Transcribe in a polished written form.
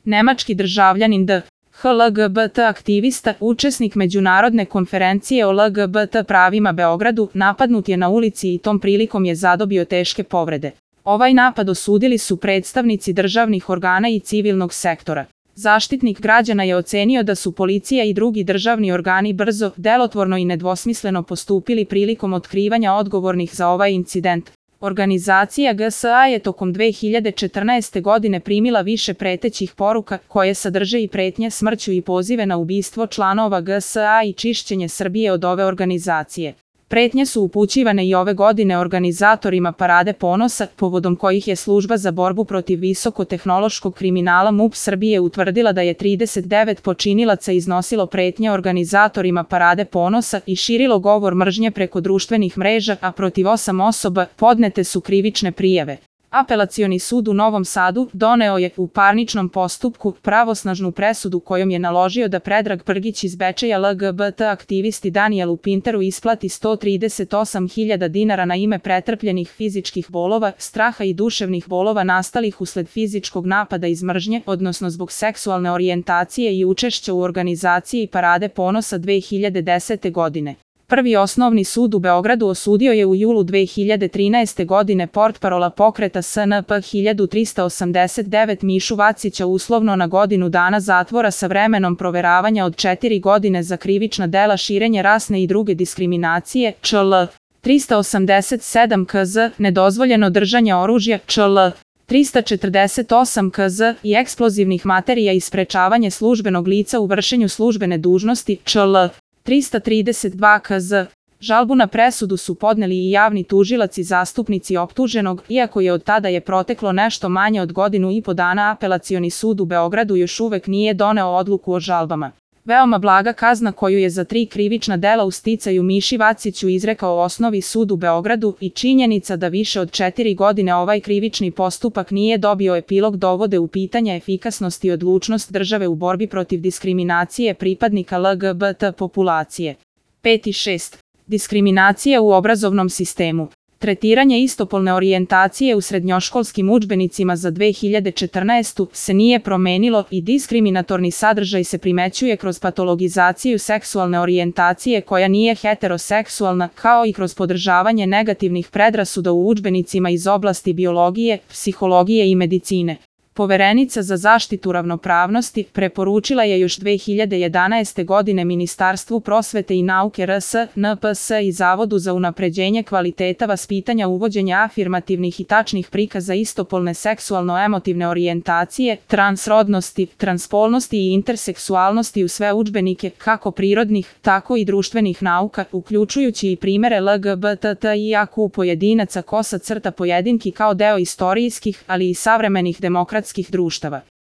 Nemački državljanin D.H. LGBT aktivista, učesnik međunarodne konferencije o LGBT pravima Beogradu, napadnut je na ulici i tom prilikom je zadobio teške povrede. Ovaj napad osudili su predstavnici državnih organa i civilnog sektora. Zaštitnik građana je ocenio da su policija i drugi državni organi brzo, delotvorno i nedvosmisleno postupili prilikom otkrivanja odgovornih za ovaj incident. Organizacija GSA je tokom 2014. godine primila više pretećih poruka koje sadrže i pretnje smrću i pozive na ubistvo članova GSA i čišćenje Srbije od ove organizacije. Pretnje su upućivane i ove godine organizatorima Parade ponosa, povodom kojih je Služba za borbu protiv visokotehnološkog kriminala MUP Srbije utvrdila da je 39 počinilaca iznosilo pretnje organizatorima Parade ponosa i širilo govor mržnje preko društvenih mreža, a protiv 8 osoba podnete su krivične prijave. Apelacioni sud u Novom Sadu doneo je u parničnom postupku pravosnažnu presudu kojom je naložio da Predrag Prgić iz Bečeja LGBT aktivisti Danijelu Pinteru isplati 138.000 dinara na ime pretrpljenih fizičkih bolova, straha i duševnih bolova nastalih usled fizičkog napada iz mržnje, odnosno zbog seksualne orijentacije i učešća u organizaciji Parade ponosa 2010. godine. Prvi osnovni sud u Beogradu osudio je u julu 2013. godine portparola pokreta SNP 1389 Mišu Vacića uslovno na godinu dana zatvora sa vremenom proveravanja od 4 godine za krivična dela širenja rasne i druge diskriminacije, čl. 387 KZ, nedozvoljeno držanje oružja, čl. 348 KZ i eksplozivnih materija i sprečavanje službenog lica u vršenju službene dužnosti, čl. 332 KZ. Žalbu na presudu su podneli i javni tužilac i zastupnici optuženog, iako je od tada je proteklo nešto manje od godinu i po dana, Apelacioni sud u Beogradu još uvek nije doneo odluku o žalbama. Veoma blaga kazna koju je za 3 krivična dela u sticaju Miši Vaciću izrekao Osnovni sud u Beogradu i činjenica da više od 4 godine ovaj krivični postupak nije dobio epilog dovode u pitanje efikasnost i odlučnost države u borbi protiv diskriminacije pripadnika LGBT populacije. 5. i 6. Diskriminacija u obrazovnom sistemu. Tretiranje istopolne orijentacije u srednjoškolskim udžbenicima za 2014. se nije promenilo i diskriminatorni sadržaj se primećuje kroz patologizaciju seksualne orijentacije koja nije heteroseksualna, kao i kroz podržavanje negativnih predrasuda u udžbenicima iz oblasti biologije, psihologije i medicine. Poverenica za zaštitu ravnopravnosti preporučila je još 2011. godine Ministarstvu prosvete i nauke RS, NPS i Zavodu za unapređenje kvaliteta vaspitanja uvođenja afirmativnih i tačnih prikaza istopolne seksualno-emotivne orijentacije, transrodnosti, transpolnosti i interseksualnosti u sve udžbenike, kako prirodnih, tako i društvenih nauka, uključujući i primere LGBTIAQ pojedinaca _pojedinki kao deo istorijskih, ali i savremenih demokratskih društava.